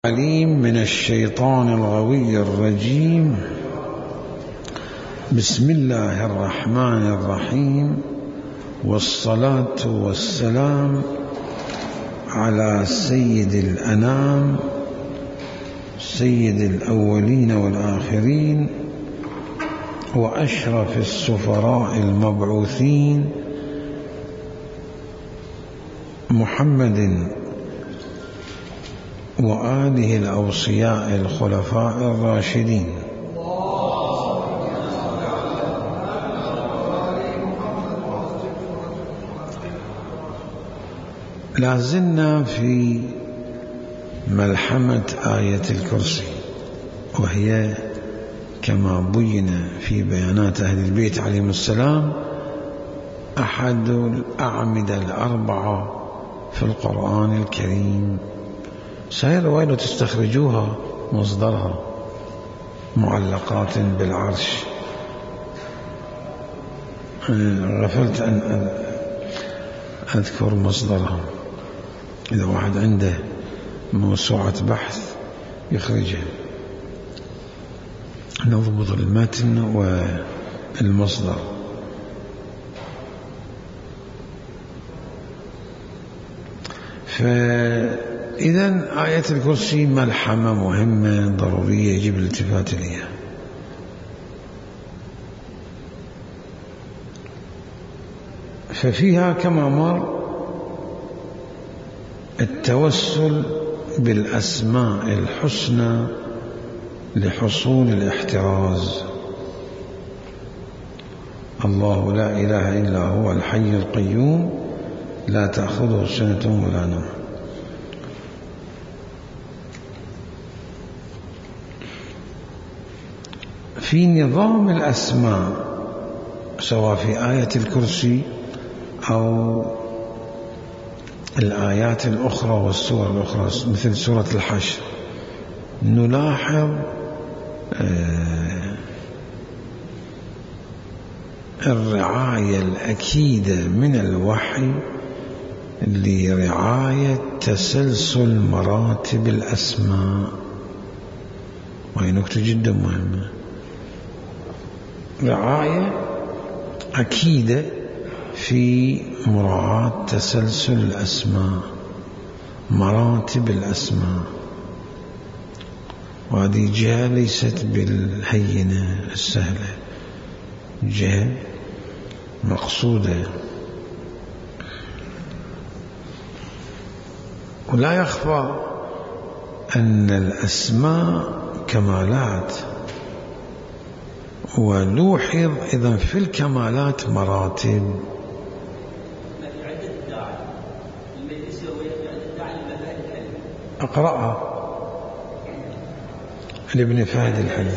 عليم من الشيطان الغوي الرجيم. بسم الله الرحمن الرحيم، والصلاة والسلام على سيد الأنام، سيد الأولين والآخرين، وأشرف السفراء المبعوثين، محمد وآله الأوصياء الخلفاء الراشدين. لازلنا في ملحمة آية الكرسي، وهي كما بين في بيانات أهل البيت عليهم السلام أحد الأعمدة الأربعة في القرآن الكريم. سهل ويلو تستخرجوها مصدرها معلقات بالعرش. غفلت أن أذكر مصدرها، إذا واحد عنده موسوعة بحث يخرجها، نضبط المتن والمصدر. فإذا آية الكرسي ملحمة مهمة ضرورية يجب الالتفات إليها. ففيها كما مر التوسل بالأسماء الحسنى لحصول الاحتراز. الله لا إله إلا هو الحي القيوم لا تأخذه سنة ولا نوم. في نظام الأسماء سواء في آية الكرسي أو الآيات الأخرى والسور الأخرى مثل سورة الحشر، نلاحظ الرعاية الأكيدة من الوحي لرعاية تسلسل مراتب الأسماء، وهي نكتة جدا مهمة. رعاية أكيدة في مراعاة تسلسل الأسماء، مراتب الأسماء، وهذه جهة ليست بالهينة السهلة، جهة مقصودة. ولا يخفى أن الأسماء كمالات، ولوحظ إذن في الكمالات مراتب. أقرأها لابن فهد الحلي.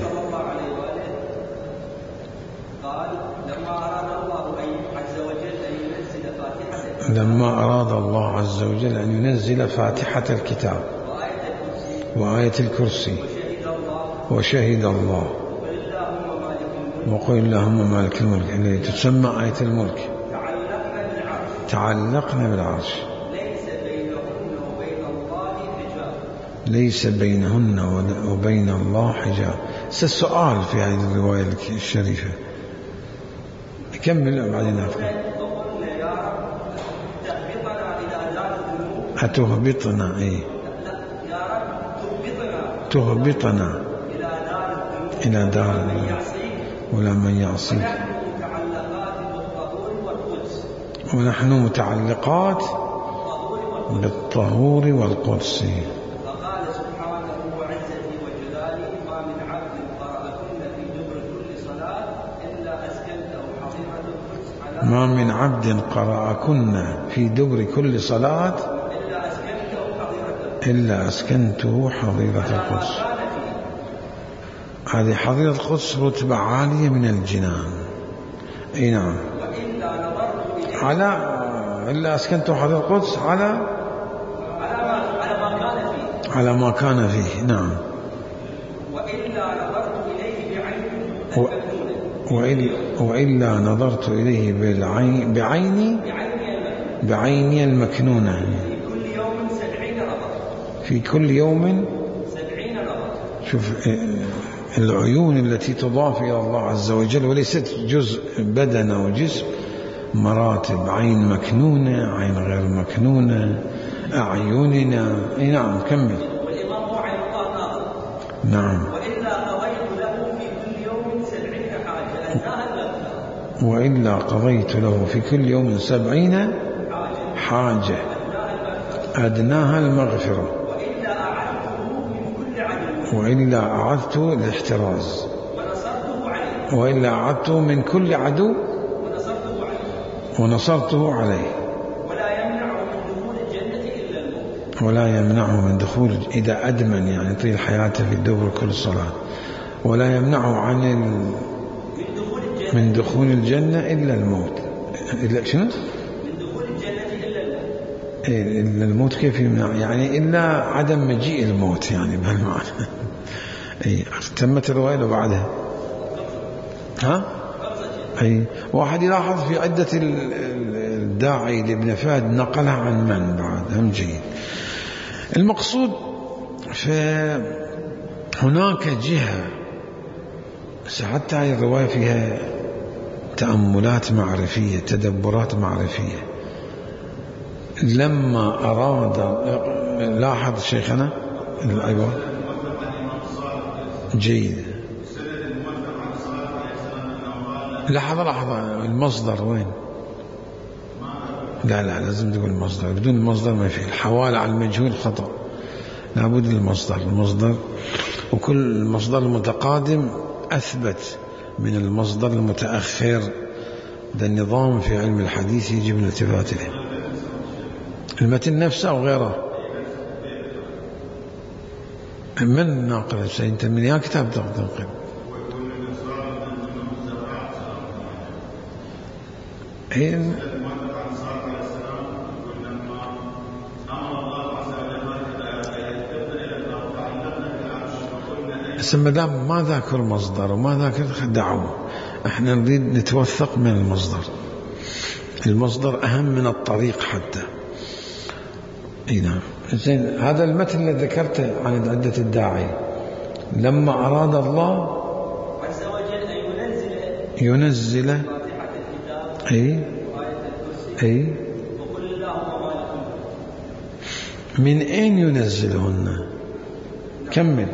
لما أراد الله عز وجل أن ينزل فاتحة الكتاب وآية الكرسي وشهد الله وقل اللهم مالك الملك الذي تسمى آية الملك، تعلقنا بالعرش، ليس بينهن وبين الله حجاب. سؤال في هذه الرواية الشريفة، نكمل وبعدين نفهم. أتهبطنا إيه؟ تهبطنا إلى دار ولا من يعصيك، ونحن متعلقات بالطهور والقدس. فقال سبحانه وعزته وجلاله ما من عبد قرأكن في دبر كل صلاة إلا أسكنته حظيرة القدس ما من عبد قرأكن في دبر كل صلاة إلا أسكنته حظيرة القدس. هذه حظيرة القدس رتبة عالية من الجنان. أي نعم. إلا أسكنته حظيرة القدس على ما كان فيه. نعم. وإلا نظرت إليه بعيني المكنونة في كل يوم شوف العيون التي تضاف إلى الله عز وجل وليست جزء بدن أو جسم مراتب، عين مكنونة، عين غير مكنونة، أعيننا. أي نعم كمل. والإمام هو عين الله ناظر. نعم. وإلا قضيت له في كل يوم 70 حاجة أدناها المغفرة. وإلا قضيت له في كل يوم 70 حاجة أدناها المغفرة. وإلا أعذته الاحتراز. وإلا أعذته من كل عدو ونصرته عليه. ولا يمنعه من دخول إذا أدمن يعني طيل حياته في الدبر كل صلاة، ولا يمنعه عن من دخول الجنة إلا الموت. إلا شنو؟ من دخول الجنة إلا الموت. إلا الموت كيف يمنع؟ يعني إلا عدم مجيء الموت يعني بهالمعنى. أي تمت الرواية لو بعدها. ها؟ أي واحد يلاحظ في عدة الداعي لابن فهد نقلها عن من بعد هم جيد. المقصود فهناك جهة حتى هذه الرواية فيها تأملات معرفية، تدبرات معرفية. لما أراد لاحظ شيخنا أيوة جيد. لحظة المصدر وين؟ لا لازم تقول المصدر، بدون المصدر ما في. الحوالة على المجهول خطأ، لابد المصدر وكل المصدر المتقادم أثبت من المصدر المتأخر. ده النظام في علم الحديث يجب الالتفات له. المتن نفسه أو غيره. من ناقل أنت من يا كتاب تنقل؟ ما دام ما ذاكر مصدر وما ذاكر دعوه، احنا نريد نتوثق من المصدر أهم من الطريق حتى. نعم. زين، هذا المتن اللي ذكرته عن عدة الداعي لما أراد الله عز وجل أن ينزل أي وقل اللهم مالك من أين ينزلهن؟ كمل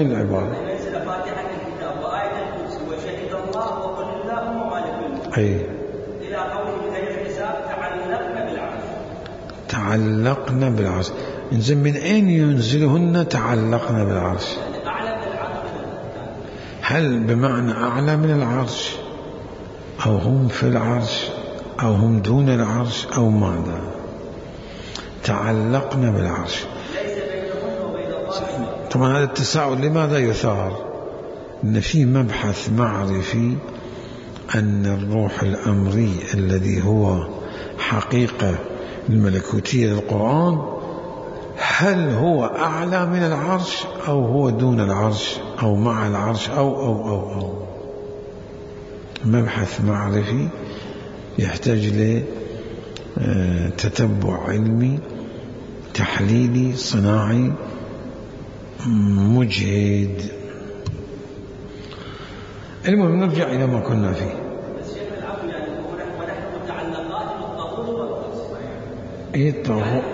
العبارة. ينزل فاتحة الكتاب وآية الكرسي وشهد الله وقل اللهم مالك الملك إلى قوله غير الحساب تعلقنا بالعرش. إنزين من أين ينزلهن تعلقنا بالعرش؟ هل بمعنى أعلى من العرش أو هم في العرش أو هم دون العرش أو ماذا؟ تعلقنا بالعرش. طبعا هذا التساؤل لماذا يثار؟ إن في مبحث معرفي أن الروح الأمري الذي هو حقيقة الملكوتية للقرآن هل هو أعلى من العرش أو هو دون العرش أو مع العرش أو مبحث معرفي يحتاج لتتبع علمي تحليلي صناعي مجهد. المهم نرجع إلى ما كنا فيه.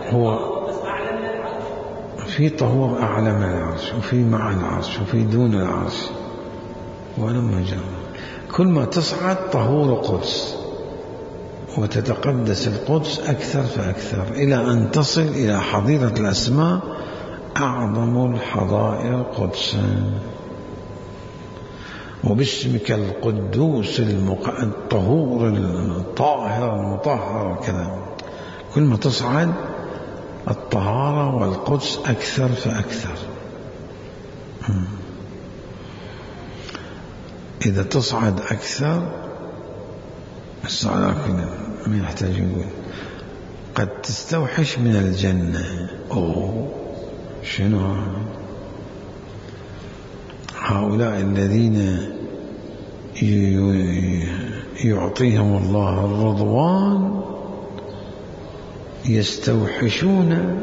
هو في طهور أعلى من العرش وفي مع العرش وفي دون العرش ولما جاء كل ما تصعد طهور قدس وتتقدس القدس أكثر فأكثر إلى أن تصل إلى حظيرة الأسماء أعظم الحظائر قدسا وباسمك القدوس الطهور الطاهر المطهر وكذا. كل ما تصعد الطهارة والقدس أكثر فأكثر. إذا تصعد أكثر لكن ما يحتاج يقول قد تستوحش من الجنة. شنو هؤلاء الذين يعطيهم الله الرضوان يستوحشون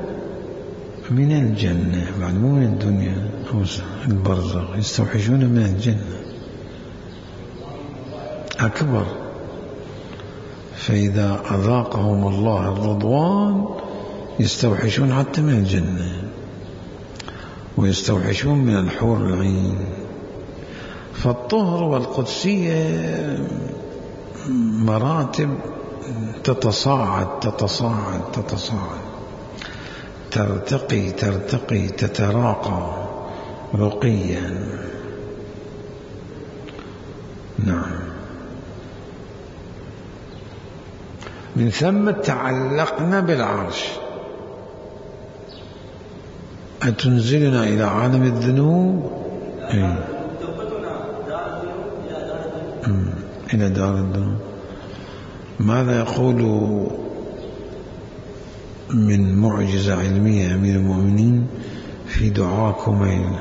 من الجنة بعد مو من الدنيا أو البرزخ، يستوحشون من الجنة أكبر. فإذا أذاقهم الله الرضوان يستوحشون حتى من الجنة ويستوحشون من الحور العين. فالطهر والقدسية مراتب تتصاعد تتصاعد تتصاعد، ترتقي ترتقي، تتراقى رقيا. نعم. من ثم تعلقنا بالعرش. أتنزلنا إلى عالم الذنوب إلى دار الذنوب. ماذا يقول من معجزة علمية أمير المؤمنين في دعاء كميل؟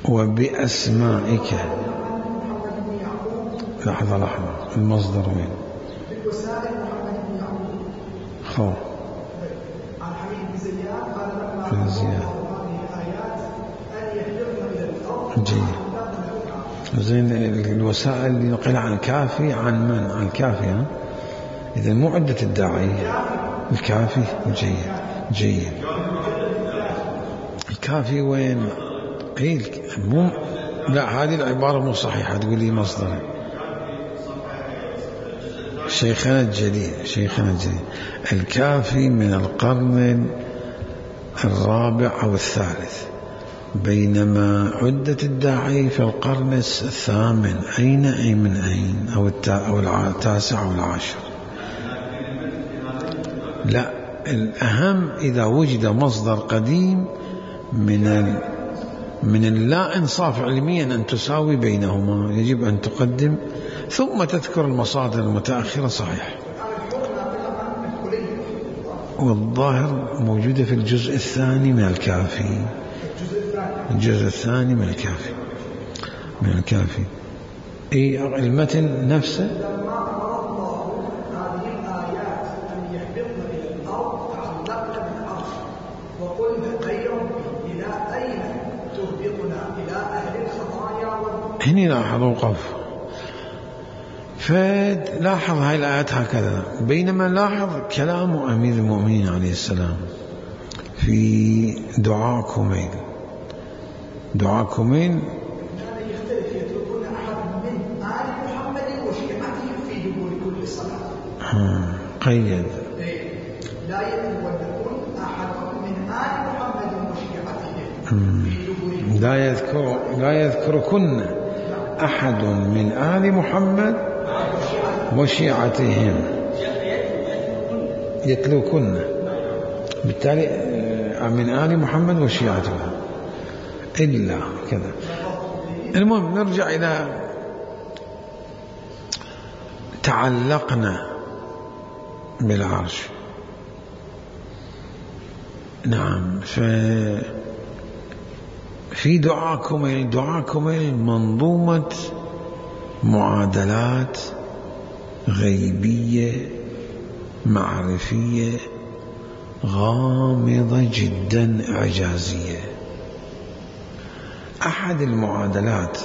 وبأسمائك. لحظة المصدر وين؟ خو بن زياد. جيد. زين. الوسائل اللي نقل عن الكافي عن من؟ عن الكافي. ها إذا مو عدة الداعية. الكافي. جيد جيد. الكافي وين؟ قيل مو. لا هذه العبارة مو صحيحة. تقول لي مصدر. شيخنا الجليل الكافي من القرن الرابع أو الثالث، بينما عدة الداعي في القرن الثامن. أين أي من أين؟ أو التاسع أو العاشر. لا، الأهم إذا وجد مصدر قديم من اللا إنصاف علميا أن تساوي بينهما، يجب أن تقدم ثم تذكر المصادر المتأخرة. صحيح. والظاهر موجودة في الجزء الثاني من الكافي. الجزء الثاني من الكافي. إيه المتن نفسه. هنا لاحظ وقف. فلاحظ هاي الآيات هكذا، بينما لاحظ كلام أمير المؤمنين عليه السلام في دعاء كميل. دعاء كميل يختلف. يتركون أحد من آل محمد وشيعته في دبر كل صلاة. قيد. لا يتركون أحد من آل محمد وشيعته في دبر. لا يذكركن أحد من آل محمد وشيعتهم. يتلوكن، بالتالي من آل محمد وشيعتهم إلا كذا. المهم نرجع إلى تعلقنا بالعرش. نعم. في دعاءكم منظومة معادلات غيبية معرفية غامضة جدا إعجازية. أحد المعادلات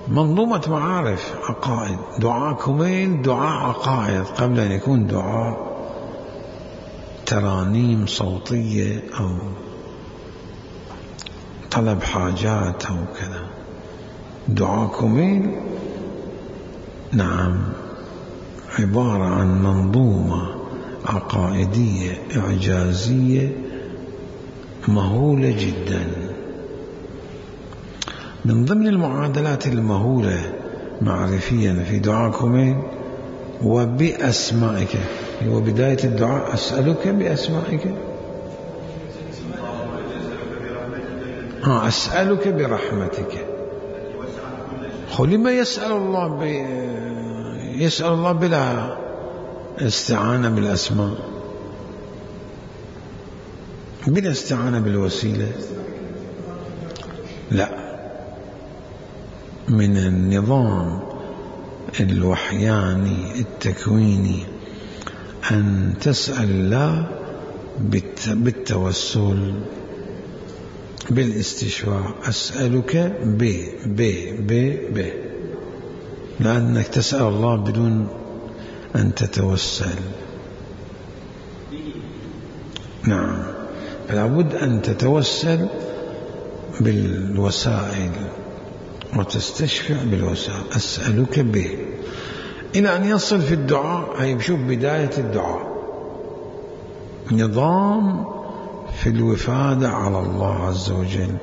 منظومة معارف عقائد. دعاء كميل دعاء عقائد قبل أن يكون دعاء ترانيم صوتية أو طلب حاجات أو كذا. دعاء كميل نعم عبارة عن منظومة عقائدية إعجازية مهولة جدا. من ضمن المعادلات المهولة معرفيا في دعاء كميل وبأسمائك، هو بداية الدعاء أسألك بأسمائك. أسألك برحمتك. لما يسأل الله بلا استعانة بالأسماء، بلا استعانة بالوسيلة؟ لا، من النظام الوحياني التكويني أن تسأل الله بالتوسل بالاستشفاء. أسألك ب لأنك تسأل الله بدون أن تتوسل. نعم، فلا بد أن تتوسل بالوسائل وتستشفع بالوسائل. أسألك به إلى أن يصل في الدعاء. هي بشوف بداية الدعاء نظام في الوفادة على الله عز وجل،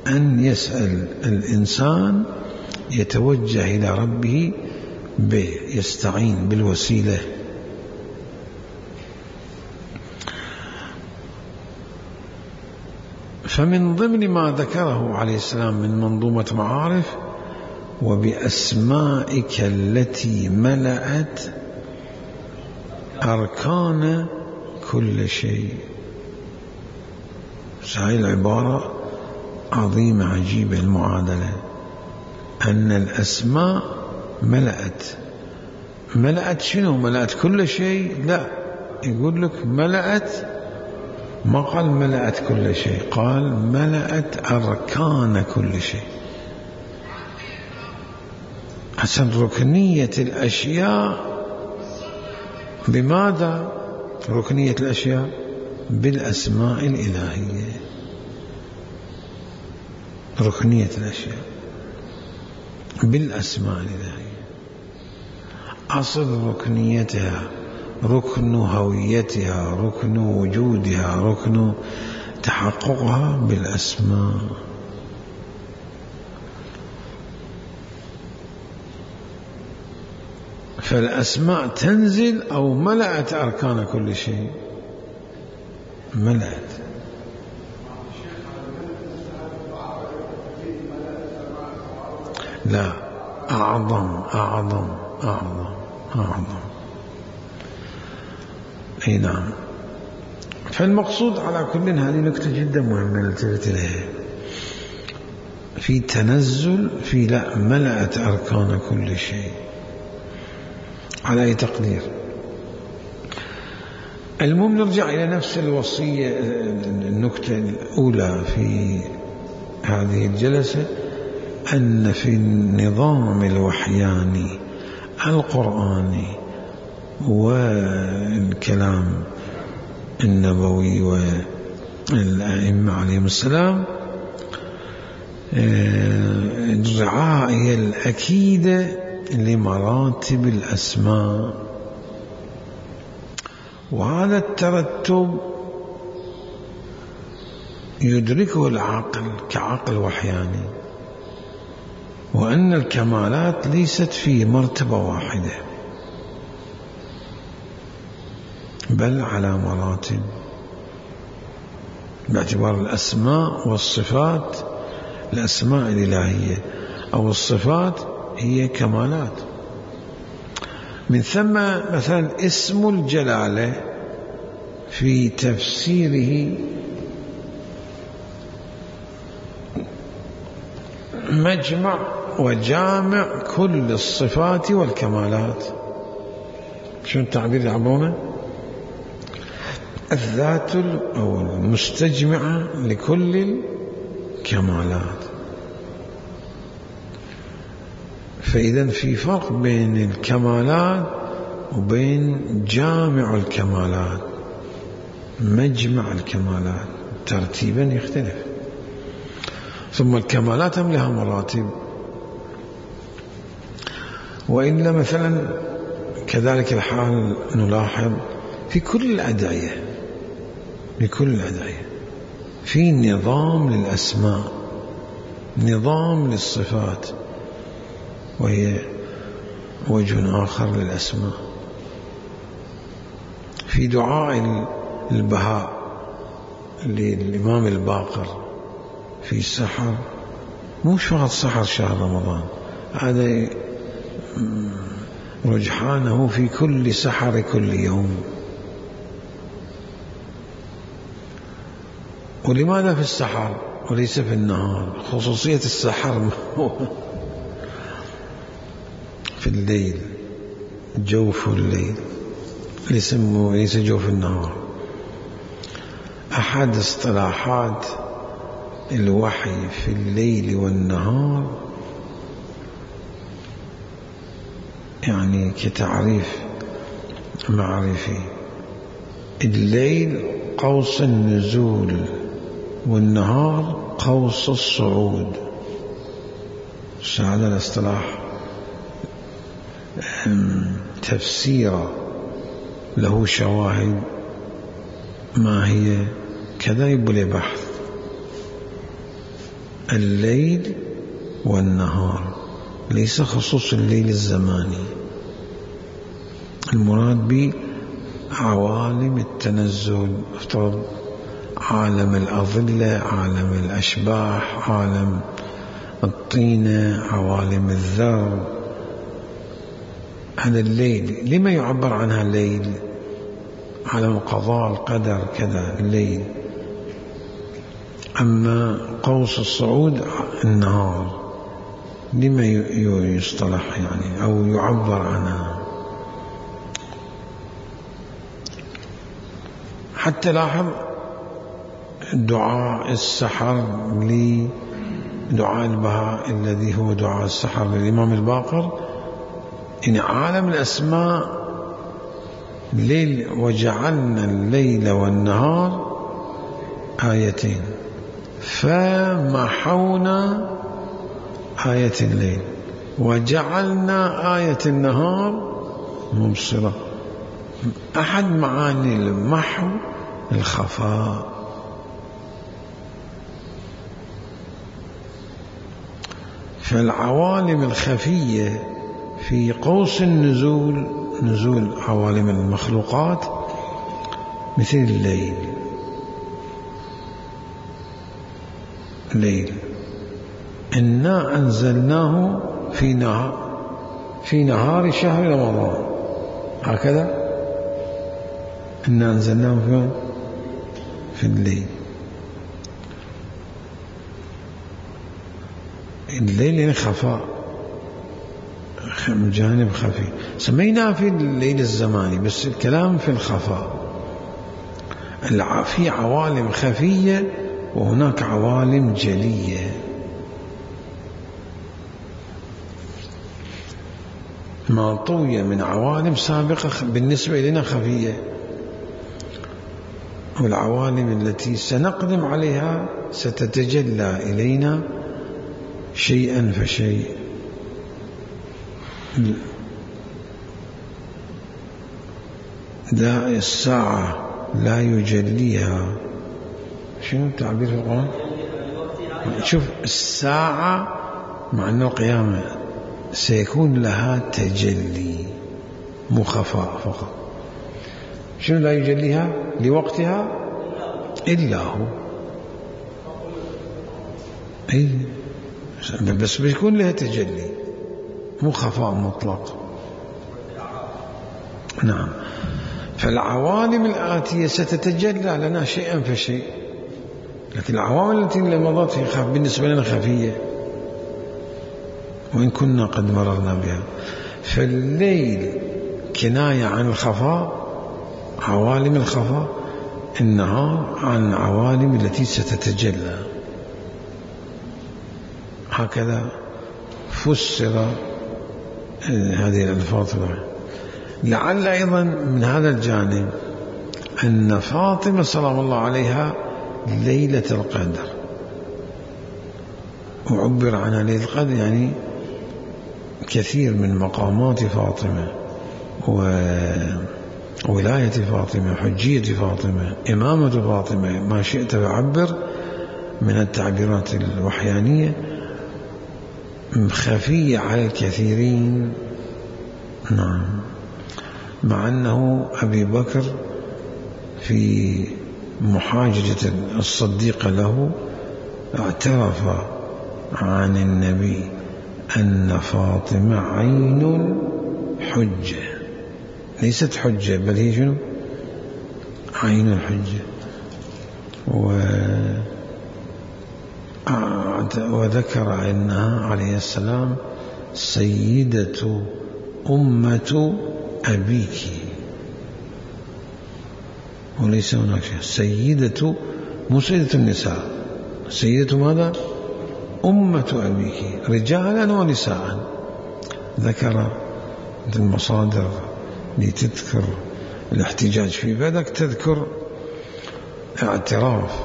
أن يسأل الإنسان يتوجه إلى ربه يستعين بالوسيلة. فمن ضمن ما ذكره عليه السلام من منظومة معارف: وبأسمائك التي ملأت أركان كل شيء. هاي العبارة عظيمة عجيبة المعادلة، أن الأسماء ملأت شنو؟ ملأت كل شيء؟ لا، يقول لك ملأت، ما قال ملأت كل شيء، قال ملأت أركان كل شيء. حسن ركنية الأشياء بماذا؟ ركنية الأشياء بالأسماء الإلهية. ركنية الأشياء بالأسماء الإلهية، أصل ركنيتها، ركن هويتها، ركن وجودها، ركن تحققها بالأسماء. فالأسماء تنزل أو ملأت أركان كل شيء، ملأت. لا، أعظم. أي نعم. فالمقصود على كل، هذه نكتة جدا مهمة نلتفت إليها، في تنزل، في لا، ملأت أركان كل شيء على أي تقدير. المهم نرجع إلى نفس الوصية، النكتة الأولى في هذه الجلسة، أن في النظام الوحياني القرآني والكلام النبوي والأئمة عليهم السلام الرعاية الأكيدة لمراتب الأسماء، وهذا الترتب يدركه العقل كعقل وحياني، وأن الكمالات ليست في مرتبة واحدة بل على مراتب، باعتبار الأسماء والصفات. الأسماء الإلهية أو الصفات هي كمالات. من ثم مثلا اسم الجلالة في تفسيره مجمع وجامع كل الصفات والكمالات. شو التعبير يعبونه؟ الذات أو المستجمعة لكل الكمالات. فإذا في فرق بين الكمالات وبين جامع الكمالات. مجمع الكمالات ترتيبا يختلف. ثم الكمالات هم لها مراتب. وإلا مثلا كذلك الحال نلاحظ في كل الأدعية، في نظام للأسماء، نظام للصفات، وهي وجه آخر للأسماء. في دعاء البهاء للإمام الباقر في السحر، مش فقط سحر شهر رمضان، هذا رجحانه في كل سحر كل يوم. ولماذا في السحر وليس في النهار؟ خصوصية السحر في الليل، جوف الليل، ليس جوف النهار. أحد اصطلاحات الوحي في الليل والنهار يعني كتعريف معرفي: الليل قوس النزول والنهار قوس الصعود. هذا الاصطلاح تفسير له شواهد. ما هي؟ كذا يبقى بحث. الليل والنهار ليس خصوص الليل الزماني، المراد به عوالم التنزل، افترض عالم الأظلة، عالم الأشباح، عالم الطينة، عوالم الذر. هذا الليل. لما يعبر عنها الليل؟ عالم القضاء القدر كذا الليل. أما قوس الصعود النهار. لما يصطلح يعني أو يعبر عنها؟ حتى لاحظ دعاء السحر دعاء البهاء الذي هو دعاء السحر للإمام الباقر، إن عالم الأسماء ليل وجعلنا الليل والنهار آيتين فمحونا آية الليل وجعلنا آية النهار مبصرة. أحد معاني المحو الخفاء. فالعوالم الخفية في قوس النزول، نزول عوالم المخلوقات، مثل الليل. الليل إنا أنزلناه في نهار شهر رمضان، هكذا إنا أنزلناه في الليل. الليل يعني خفاء، جانب خفي، سميناه في الليل الزماني، بس الكلام في الخفاء. في عوالم خفية وهناك عوالم جلية. ما طوي من عوالم سابقة بالنسبة لنا خفية، والعوالم التي سنقدم عليها ستتجلى إلينا شيئا فشيء. الساعة لا يجليها. شنو التعبير في القرآن؟ شوف، الساعة مع أنه القيامة سيكون لها تجلي، مو خفاء فقط. شنو لا يجليها؟ لوقتها إلا هو. أي بس بيكون لها تجلي، مو خفاء مطلق. نعم. فالعوالم الآتية ستتجلى لنا شيئا فشيء، لكن العوالم التي مضت بالنسبة لنا خفية، وإن كنا قد مررنا بها. فالليل كناية عن الخفاء، عوالم الخفاء، النهار عن العوالم التي ستتجلى. هكذا فسر هذه الألفاظ. لعل أيضا من هذا الجانب أن فاطمة سلام الله عليها ليلة القدر، وعبر عنها ليلة القدر يعني كثير من مقامات فاطمة وولاية فاطمة، حجية فاطمة، إمامة فاطمة، ما شئت فعبر من التعبيرات الوحيانية، خفية على الكثيرين. نعم. مع أنه أبي بكر في محاججة الصديقة له اعترف عن النبي أن فاطمة عين حجة، ليست حجة بل هي شنو؟ عين الحجة. وذكر أنها عليه السلام سيدة أمة أبيك، وليس هناك شيء. سيدة مو سيدة النساء، سيدة ماذا؟ أمة أبيك رجالا ونساء. ذكر المصادر لتذكر الاحتجاج في بدك، تذكر اعتراف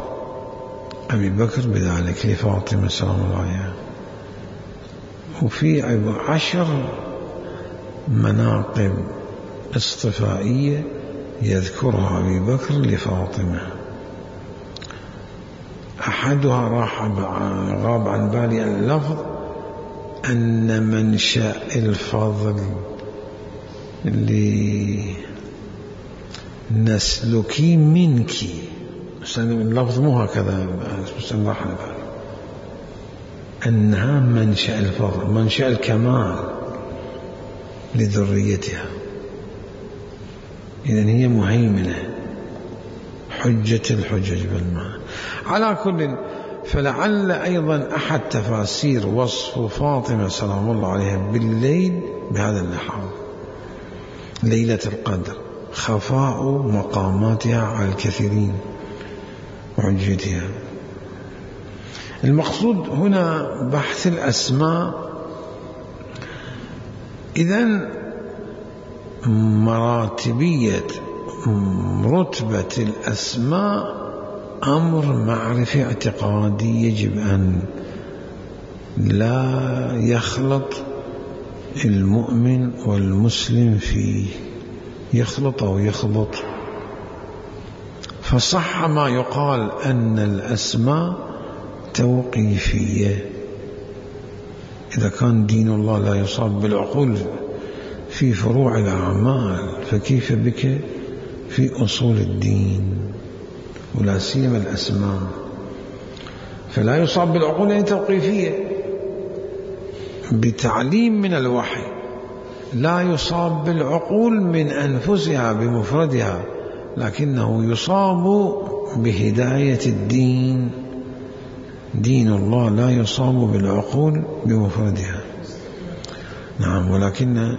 أبي بكر بذلك لفاطمة سلام الله عليها. وفي 10 مناقب اصطفائية يذكرها أبي بكر لفاطمة. أحدها غاب عن بالي اللفظ أن منشأ الفضل لنسلكي منك، اللفظ مو هكذا بس راح على بالي أنها منشأ الفضل، منشأ الكمال لذريتها. إذن هي مهيمنة، حجة الحجج بالمعنى. على كل، فلعل أيضا أحد تفاسير وصف فاطمة سلام الله عليها بالليل بهذا اللحاظ، ليلة القدر، خفاء مقاماتها على الكثيرين وحجتها. المقصود هنا بحث الأسماء. إذن مراتبية رتبة الأسماء أمر معرفي اعتقادي يجب أن لا يخلط المؤمن والمسلم فيه، يخلط أو يخلط. فصح ما يقال أن الأسماء توقيفية. إذا كان دين الله لا يصاب بالعقول في فروع الأعمال، فكيف بك في أصول الدين ولا سيما الأسماء؟ فلا يصاب بالعقول يعني توقيفية بتعليم من الوحي، لا يصاب بالعقول من أنفسها بمفردها، لكنه يصاب بهداية الدين. دين الله لا يصاب بالعقول بمفردها، نعم، ولكن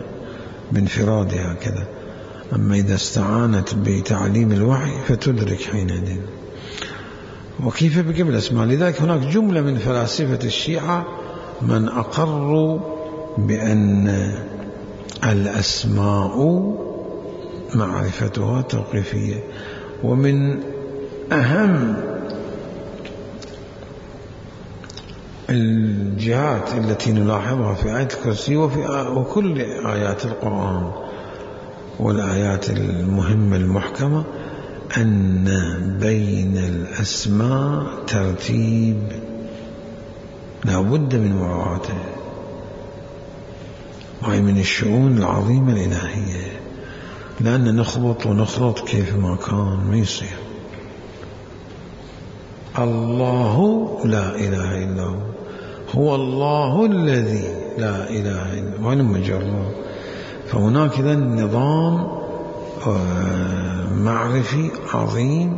بانفرادها كذا. أما إذا استعانت بتعليم الوحي فتدرك حينئذ. وكيف بك بالأسماء؟ لذلك هناك جملة من فلاسفة الشيعة من أقروا بأن الأسماء معرفتها توقيفية. ومن أهم الجهات التي نلاحظها في آية الكرسي وكل آيات القرآن والآيات المهمة المحكمة أن بين الأسماء ترتيب لا بد من مراعاته، وهي من الشؤون العظيمة الإلهية، لأن نخبط ونخلط كيف ما كان ما يصير. الله لا إله إلا هو، هو الله الذي لا إله إلا هو، وين مجرد. فهناك إذن نظام معرفي عظيم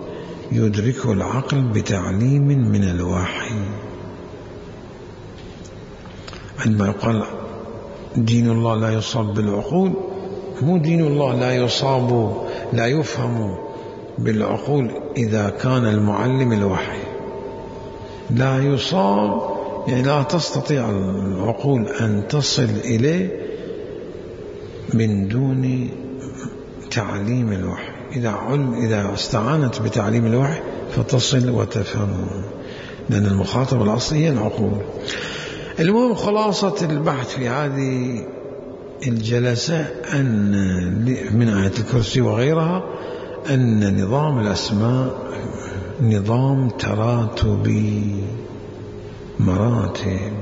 يدركه العقل بتعليم من الوحي. عندما يقال دين الله لا يصاب بالعقول، مو دين الله لا يصاب لا يفهم بالعقول إذا كان المعلم الوحي، لا يصاب يعني لا تستطيع العقول أن تصل إليه من دون تعليم الوحي. إذا استعانت بتعليم الوحي فتصل وتفهمه، لأن المخاطب الأصلي هي العقول. المهم خلاصة البحث في هذه الجلسة أن من آية الكرسي وغيرها أن نظام الأسماء نظام تراتبي مراتب،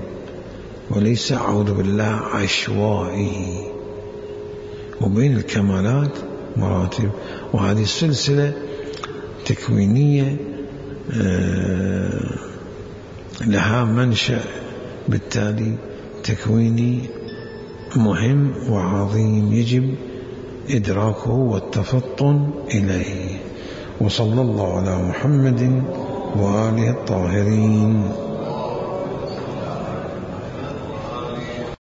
وليس أعوذ بالله عشوائي، وبين الكمالات مراتب. وهذه السلسلة تكوينية لها منشأ بالتالي تكويني مهم وعظيم يجب إدراكه والتفطن إليه. وصلى الله على محمد وآله الطاهرين.